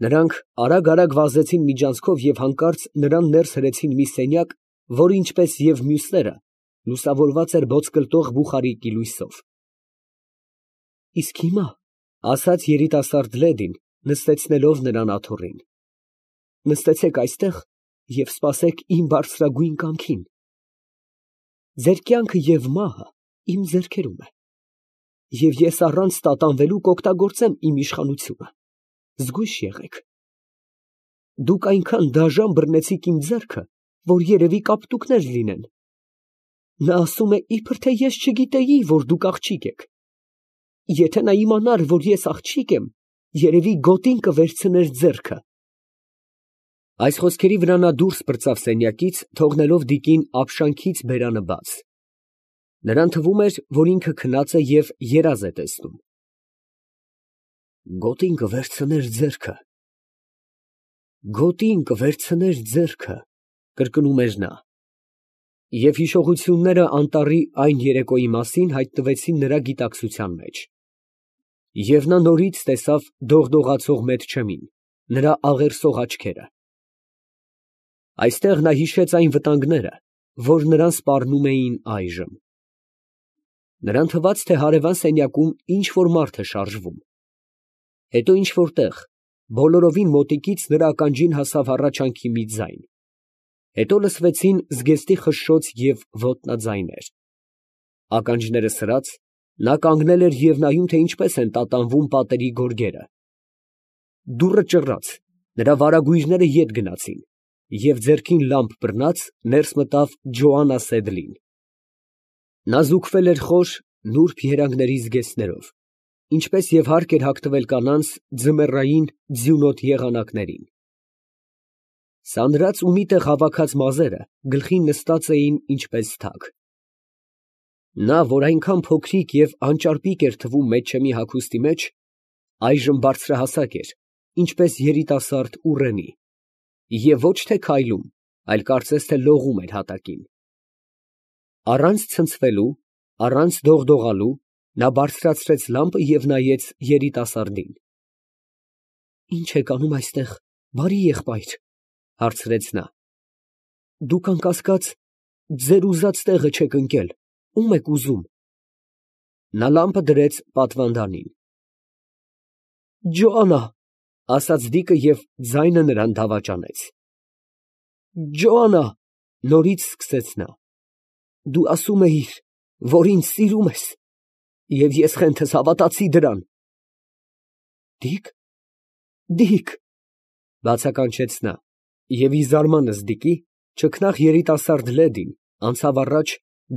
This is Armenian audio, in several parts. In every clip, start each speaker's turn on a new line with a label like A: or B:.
A: Նրանք արագ վազեցին միջանցքով և հանկարծ նրան ներս հրեցին մի սենյակ, որը ինչպես և մյուսները, լուսավորված էր ոսկլտող բուխարիկի լույսով։ ֊ Իսկ հիմա, ֊ ասաց երիտասարդ լեդին, նստեցնելով նրան աթոռին, ֊ նստեցեք այստեղ և սպասեք իմ բարձրագույն կամքին. ձեր կյանքը և մահը իմ ձեռքերում է, և ես առանց տատանվելու կօգտագործեմ իմ իշխանությունը. զգույշ եղեք. դուք այնքան դաժան բռնեցիք իմ ձեռքը, որ երևի կապտուկներ լինեն. նա ասում է, իբր թե ես չգիտեի, որ դուք աղջիկ եք. եթե նա իմանար, որ ես աղջիկ եմ, երևի գոտին կվերցներ ձեռքը։ Այս խոսքերի վրա նա դուրս պրծավ սենյակից, թողնելով Դիկին ապշանքից բերանը բաց։ Նրան թվում էր, որ ինքը քնած է և երազ է տեսնում։ Գոտին կվերցներ ձեռքը, գոտին կվերցներ ձեռքը, կրկնում էր նա։ Եվ հիշողությունները անտառի այն երեկոյի մասին հայտնվեցին նրա գիտակցության մեջ։ Եվ նա նորից տեսավ դողդողացող Մեթչեմին, նրա աղերսող աչքերը։ Այստեղ նա հիշեց այն վտանգները, որ նրան սպառնում էին այժմ։ Նրան թվաց, թե հարևան սենյակում ինչ֊որ մարդ է շարժվում։ Հետո ինչ֊որ տեղ, բոլորովին մոտիկից նրա ականջին հասավ հառաչանքի մի ձայն։ Հետո լսվեցին զգեստի խշշոց և ոտնաձայներ։ Ականջները սրած, նա կանգնել էր և նայում, թե ինչպես են տատանվում պատերի գորգերը։ Դուռը ճռռաց, նրա վարագույրները ետ գնացին, և ձեռքին լամպ բռնած, ներս մտավ Ջոանա Սեդլին։ Նա զուգվել էր խոր, նուրբ երանգների զգեստներով, ինչպես և հարկ էր հագնվել կանանց ձմեռային ձյունոտ եղանակներին։ Սանրած ու մի տեղ հավաքած մազերը գլխին նստած էին ինչպես թագ։ Նա, որ այնքան փոքրիկ և անճարպիկ էր թվում Մեթչեմի հագուստի մեջ, այժմ բարձրահասակ էր, ինչպես երիտասարդ ուռենի, և ոչ թե քայլում, այլ կարծես թե լողում էր հատակին։ Առանց ցնցվելու, առանց դողդողալու, նա բարձրացրեց լամպը և նայեց երիտասարդին։ ֊ Ի՞նչ եք անում այստեղ, բարի եղբայր, ֊ հարցրեց նա։ ֊ Դուք անկասկած ձեր ուզած տեղը չեք ընկել, ո՞ւմ եք ուզում։ Նա լամպը դրեց պատվանդանին։ ֊ Ջոանա, ֊ ասաց Դիկը և ձայնը նրան դավաճանեց։ ֊ Ջոանա, ֊ նորից սկսեց նա, ֊ դու ասում էիր, որ ինձ սիրում ես, և ես խենթս հավատացի դրան։ ֊ Դիկ, Դիկ, ֊ բացականչեց նա, և ի զարմանս Դիկի, ճկնաղ երիտասարդ լեդին անցավ առաջ,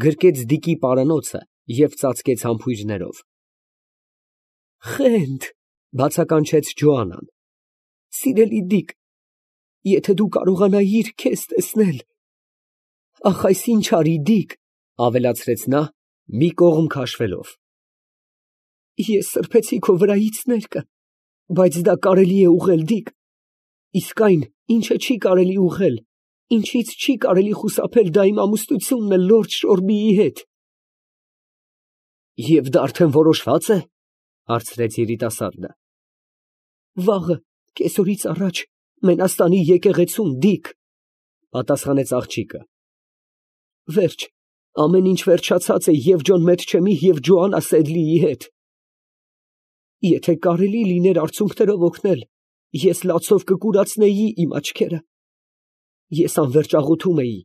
A: գրկեց Դիկի պարանոցը և ծածկեց համբույրներով։ ֊ Խենթ, ֊ բացականչեց Ջոանան, ֊ սիրելի Դիկ, եթե դու կարողանայիր քեզ տեսնել… Ախ, այս ինչ արի, Դիկ, ֊ ավելացրեց նա, մի կողմ քաշվելով։ Ես սրբեցի քո վրայից ներկը, բայց դա կարելի է ուղղել, Դիկ, իսկ այն, ինչը չի կարելի ուղղել, ինչից չի կարելի խուսափել, դա իմ ամուսնությունն է լորդ Շորբիի հետ։ ֊ Եվ դա արդեն որոշվա՞ծ է, ֊ հարցրեց երիտասարդը։ ֊ Վաղը, կեսօրից առաջ, Մենաստանի եկեղեցում, Դիկ, ֊ պատասխանեց աղջիկը։ ֊ Վերջ, ամեն ինչ վերջացած է և Ջոն Մեթչեմի և Ջոանա Սեդլիի հետ։ Եթե կարելի լիներ արցունքներով օգնել, ես լացով կկուրացնեի իմ աչքերը։ Ես անվերջ աղոթում էի,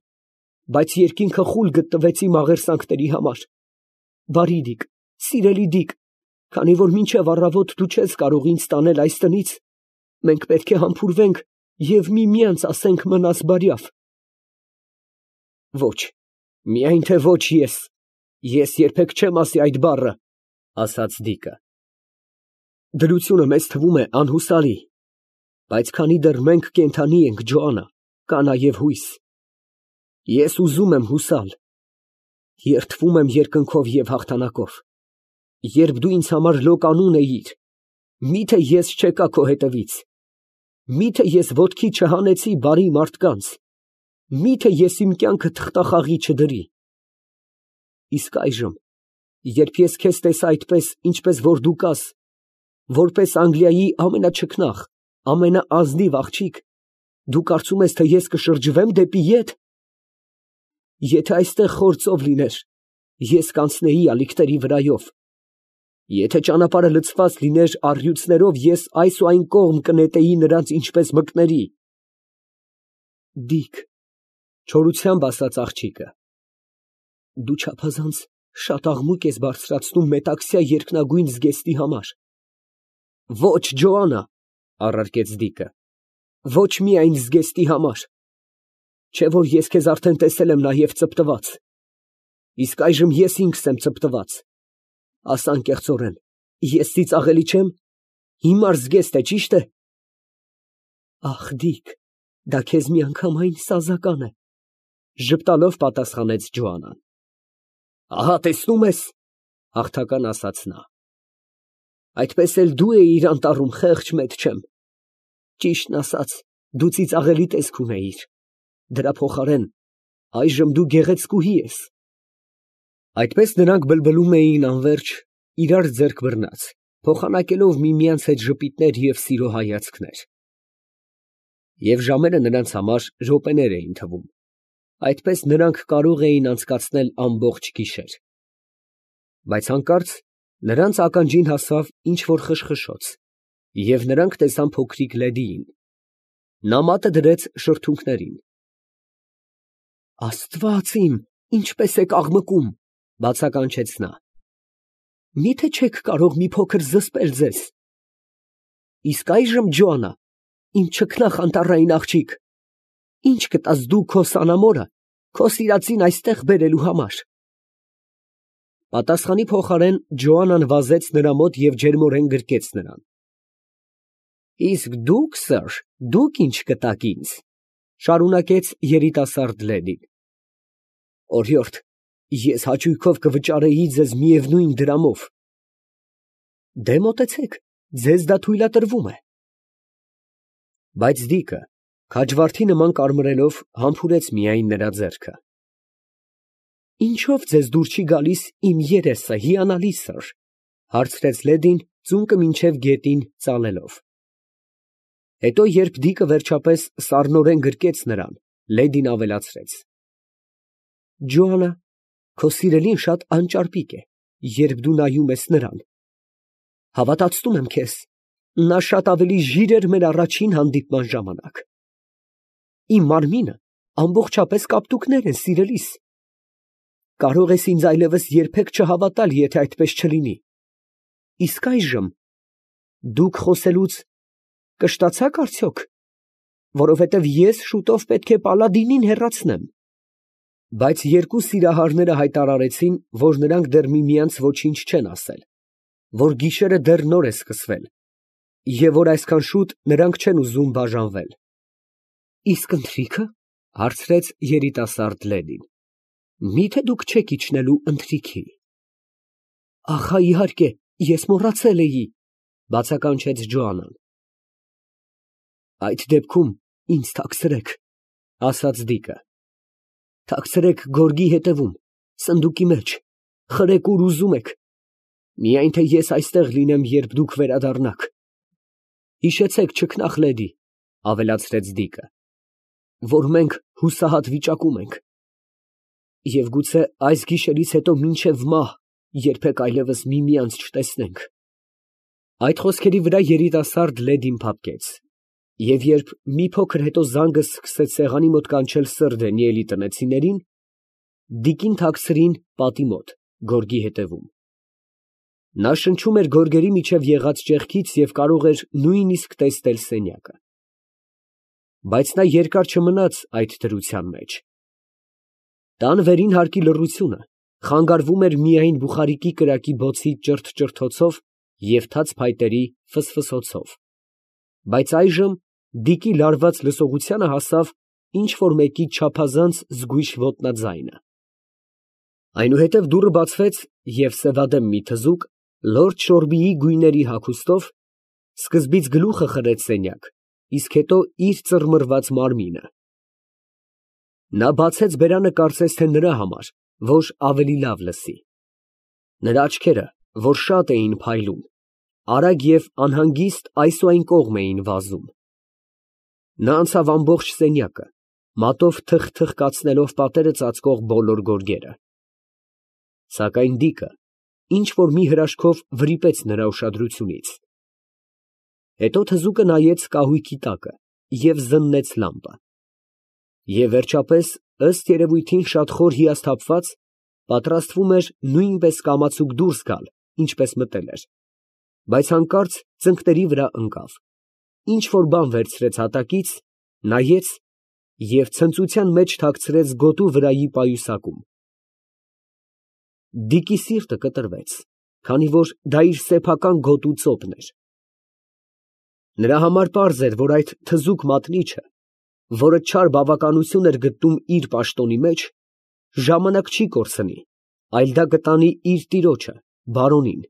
A: բայց երկինքը խուլ գտնվեց իմ աղերսանքների համար։ Բարի Դիկ, սիրելի Դիկ, քանի որ մինչև առավոտ դու չես կարող ինձ տանել այս տնից, մենք պետք է համբուրվենք և միմյանց ասենք մնաս բարյավ։ Ոչ, միայն թե ոչ ես երբեք չեմ ասի այդ բառը, ֊ ասաց Դիկը։ Դրությունը մեզ թվում է անհուսալի, բայց քանի դեռ մենք կենդանի ենք, Ջոանա, կա նաև հույս։ Ես ուզում եմ հուսալ, երդվում եմ երկնքով և հաղթանակով։ Երբ դու ինձ համար լոկ անուն էիր, մի՞թե ես չեկա քո հետևից, մի՞թե ես ոտքի չհանեցի բարի մարդկանց, մի՞թե ես իմ կյանքը թղթախաղի չդրի։ Իսկ այժմ, երբ ես քեզ տեսա այդպես, ինչպես որ դու կաս, որպես Անգլիայի ամենաչքնաղ, ամենաազնիվ աղջիկ, դու կարծում ես, թե ես կշրջվեմ դեպի ետ։ Եթե այստեղ խոր ծով լիներ, ես կանցնեի ալիքների վրայով։ Եթե ճանապարհը լցված լիներ առյուծներով, ես այս ու այն կողմ կնետեի նրանց ինչպես մկների։ Դիք, չորությամբ ասաց աղջիկը, դու չափազանց շատ աղմուկ ես բարձրացնում մետաքսյա երկնագույն զգեստի համար։ Ոչ, Ջոաննա, առարկեց Դիկը, ոչ միայն զգեստի համար, չէ որ ես քեզ արդեն տեսել եմ նաև ծպտված, իսկ այժմ ես ինքս եմ ծպտված, ասա անկեղծորեն, ես ծիծաղելի չեմ, հիմար զգեստ է, ճիշտ է։ Ախ, Դիկ, դա քեզ միանգամայն սազական է, ժպտալով պատասխանեց Ջոաննան։ Ահա տեսնում ես, հաղթական ասաց նա, այդպես էլ դու էիր անտառում, խեղճ մեծ չեմ, ճիշտն ասած, դու ծիծաղելի տեսք ունեիր, դրա փոխարեն այժմ դու գեղեցկուհի ես։ Այդպես նրանք բլբլում էին անվերջ, իրար ձեռք բռնած, փոխանակելով միմյանց հետ ժպիտներ և սիրո հայացքներ։ Եվ ժամերը նրանց համար րոպեներ էին թվում, այդպես նրանք կարող էին անցկացնել ամբողջ գիշեր։ Բայց հանկարծ նրանց ականջին հասավ ինչ-որ խշխշոց, և նրանք տեսան փոքրիկ Լեդիին։ Նա մատը դրեց շրթունքներին։ Աստված իմ, ինչպես եք աղմկում, բացականչեց նա։ Միթե չեք կարող մի փոքր զսպել ձեզ։ Իսկ այժմ, Ջոաննա, իմ չքնաղ անտառային աղջիկ, ինչ կտաս դու քո սանամորը, քո սիրածին այստեղ բերելու համար։ Պատասխանի փոխարեն Ջոաննան վազեց նրա մոտ և ջերմորեն գրկեց նրան։ Իսկ դուք, սըր, դուք ինչ կտաք ինձ, շարունակեց երիտասարդ լեդին։ Օրիորդ, ես հաճույքով կվճարեի ձեզ միևնույն դրամով։ Դե մոտեցեք, ձեզ դա թույլատրվում է։ Բայց Դիկը, քաջվարդի նման կարմրելով, համբուրեց միայն նրա ձեռքը։ Ինչո՞վ ձեզ դուր չի գալիս իմ երեսը, հիանալի սըր, հարցրեց լեդին, ծունկը մինչև գետին ծալելով։ Հետո, երբ Դիկը վերջապես սառնորեն գրկեց նրան, լեդին ավելացրեց. Ջոաննա, քո սիրելին շատ անճարպիկ է, երբ դու նայում ես նրան։ Հավատացնում եմ քեզ, նա շատ ավելի ժիր էր մեր առաջին հանդիպման ժամանակ։ Իմ մարմինը ամբողջապես կապտուկներ են, սիրելիս։ Կարող ես ինձ այլևս երբեք չհավատալ, եթե այդպես չլինի։ Իսկ այժմ դուք խոսելուց կշտացա՞ք արդյոք, որովհետև ես շուտով պետք է Պալադինին հեռացնեմ։ Բայց երկու սիրահարները հայտարարեցին, որ նրանք դեռ միմյանց ոչինչ չեն ասել, որ գիշերը դեռ նոր է սկսվել, և որ այսքան շուտ նրանք չեն ուզում բաժանվել։ Իսկ ընթրիքը, հարցրեց երիտասարդ լեդին, միթե դուք չեք իջնելու ընթրիքի։ Ախա, իհարկե, ես մոռացել էի, բացականչեց Ջոաննան։ Այդ դեպքում ինձ թաքցրեք, ասաց Դիկը։ Թաքցրեք գորգի հետևում, սնդուկի մեջ, խրեք ուր ուզում եք, միայն թե ես այստեղ լինեմ, երբ դուք վերադառնաք։ Հիշեցեք, չքնաղ լեդի, ավելացրեց Դիկը, որ մենք հուսահատ վիճակում ենք։ Եվ գուցե այս գիշերից հետո մինչև մահ երբեք այլևս միմյանց չտեսնենք։ Այդ խոսքերի վրա երիտասարդ լեդին փափկեց, և երբ մի փոքր հետո զանգը սկսեց սեղանի մոտ կանչել սըր Դանիելի տնեցիներին, Դիկին թաքցրին պատի մոտ, գորգի հետևում։ Նա շնչում էր գորգերի միջև եղած ճեղքից և կարող էր նույնիսկ տեսնել սենյակը։ Բայց նա երկար չմնաց այդ դրության մեջ։ Տան վերին հարկի լռությունը խանգարվում էր միայն բուխարիկի կրակի բոցի ճրթ֊ճրթոցով և թաց փայտերի ֆսֆսոցով։ Բայց այժմ Դիկի լարված լսողությանը հասավ ինչ֊որ մեկի չափազանց զգույշ ոտնաձայնը։ Այնուհետև դուռը բացվեց, և սևադեմ մի թզուկ, լորդ Շորբիի գույների հագուստով, սկզբից գլուխը խրեց սենյակ, իսկ հետո իր ծռմռված մարմինը։ Նա բացեց բերանը կարծես թե նրա համար, որ ավելի լավ լսի։ Նրա աչքերը, որ շատ էին փայլուն, արագ և անհանգիստ այս ու այն կողմ էին վազում։ Նա անցավ ամբողջ սենյակը, մատով թխ կացնելով պատերը ծածկող բոլոր գորգերը։ Սակայն Դիկը ինչ որ մի հրաշքով վրիպեց նրա ուշադրությունից։ Հետո թզուկը նայեց կահույքի տակը և զննեց լամպը։ Եվ վերջապես, ըստ երևույթին շատ խոր հիասթափված, պատրաստվում էր նույնպես կամացուկ դուրս գալ, ինչպես մտել էր, բայց հանկարծ ծնկների վրա ընկավ, ինչ որ բան վերցրեց հատակից, նայեց և ցնծության մեջ թաքցրեց գոտու վրայի պայուսակում։ Դիկի սիրտը կտրվեց, քանի որ դա իր սեփական գոտու ծոպն էր։ Նրա համար պարզ էր, որ այդ թզուկ մատնիչը, որը չար բավականություն էր գտնում իր պաշտոնի մեջ, ժամանակ չի կորցնի, այլ դա կտանի իր տիրոջը, բարոնին։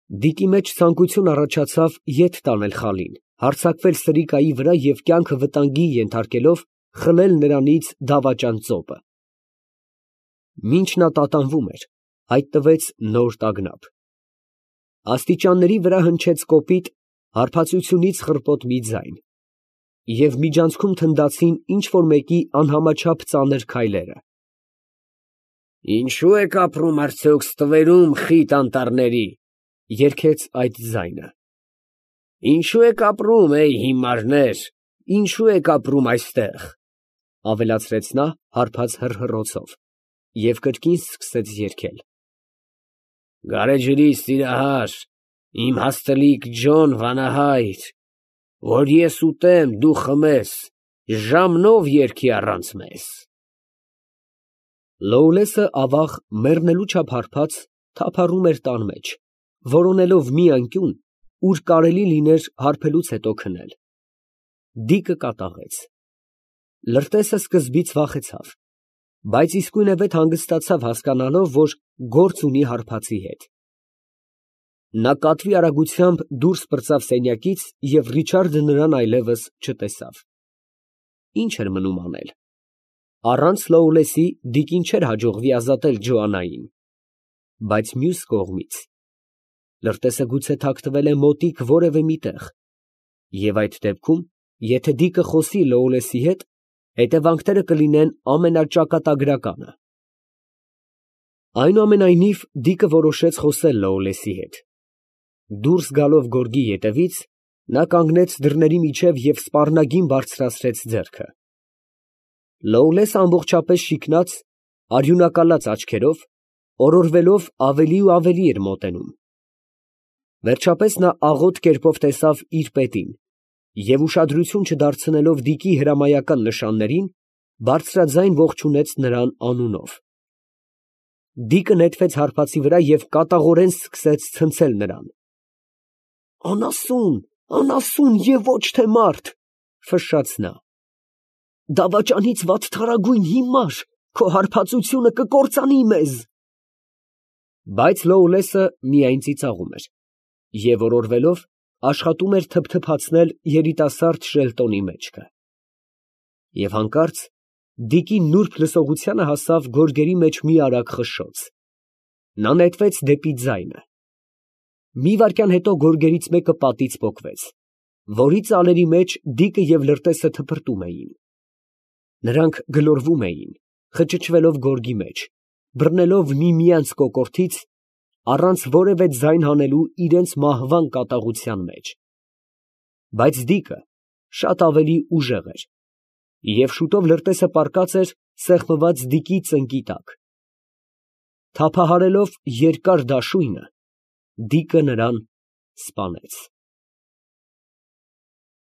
A: Դիկի մեջ ցանկություն առաջացավ ետ տանել խալին, հարձակվել սրիկայի վրա և կյանքը վտանգի ենթարկելով խլել նրանից դավաճան ծոպը։ Մինչ նա տատանվում էր, հայտնվեց նոր տագնապ։ Աստիճանների վրա հնչեց կոպիտ, հարբածությունից խռպոտ մի ձայն, և միջանցքում թնդացին ինչ որ մեկի անհամաչափ ծանր քայլերը։ «Ինչո՞ւ եք ապրում արդյոք ստվերում, խիտ անտառների», երգեց այդ ձայնը։ «Ինչո՞ւ եք ապրում, հիմարներ, ինչո՞ւ եք ապրում այստեղ», ավելացրեց նա հարբած հռհռոցով և կրկին սկսեց երգել. «Գարեջրի սիրահար, իմ հաստլիկ Ջոն վանահայր, որ ես ուտեմ, դու խմես, ժամնով երգի առանց մեզ»։ Լոուլեսը, ավաղ, մեռնելու չափ հարբած, թափառում էր տան մեջ, որոնելով մի անկյուն, ուր կարելի լիներ հարբելուց հետո քնել։ Դիկը կատաղեց։ Լրտեսը սկզբից վախեցավ, բայց իսկույնևեթ հանգստացավ հասկանալով, որ գործ ունի հարբածի հետ։ Նա կատվի արագությամբ դուրս պրծավ սենյակից և Ռիչարդը նրան այլևս չտեսավ։ Ինչ էր մնում անել։ Առանց Լոուլեսի Դիկին չէր հաջողվի ազատել Ջոաննային, բայց մյուս կողմից, լրտեսը գուցե թաքնվել է մոտիկ որևէ մի տեղ, և այդ դեպքում, եթե Դիկը խոսի Լոուլեսի հետ, հետևանքները կլինեն ամենաճակատագրականը։ Այնուամենայնիվ, Դիկը որոշեց խոսել Լոուլեսի հետ։ Դուրս գալով գորգի ետևից, նա կանգնեց դռների միջև և սպառնագին բարձրացրեց ձեռքը։ Լոուլեսը ամբողջապես շիկնած, արյունակալած աչքերով, օրորվելով ավելի ու ավելի էր մոտենում։ Վերջապես նա աղոտ կերպով տեսավ իր պետին և, ուշադրություն չդարձնելով Դիկի հրամայական նշաններին, բարձրաձայն ողջունեց նրան անունով։ Դիկը նետվեց հարբածի վրա և կատաղորեն սկսեց ցնցել նրան։ «Անասուն, անասուն և ոչ թե մարդ», ֆշշաց նա։ «Դավաճանից վատթարագույն հիմար, քո հարբածությունը կկործանի մեզ»։ Բայց Լոուլեսը միայն ծիծաղում էր և, օրորվելով, աշխատում էր թփթփացնել երիտասարդ Շելտոնի մեջքը։ Եվ հանկարծ Դիկի նուրբ լսողությանը հասավ գորգերի մեջ մի արագ խշշոց։ Նա նետվեց դեպի ձայնը։ Մի վայրկյան հետո գորգերից մեկը պատից պոկվեց, որի ծալերի մեջ Դիկը և լրտեսը թփրտում էին։ Նրանք գլորվում էին, խճճվելով գորգի մեջ, բռնելով միմյանց կոկորդից, առանց որևէ ձայն հանելու իրենց մահվան կատաղության մեջ։ Բայց Դիկը շատ ավելի ուժեղ էր, և շուտով լրտեսը պառկած էր սեղմված Դիկի ծնկի տակ։ Թափահարելով երկար դաշույնը, Դիկը նրան սպանեց։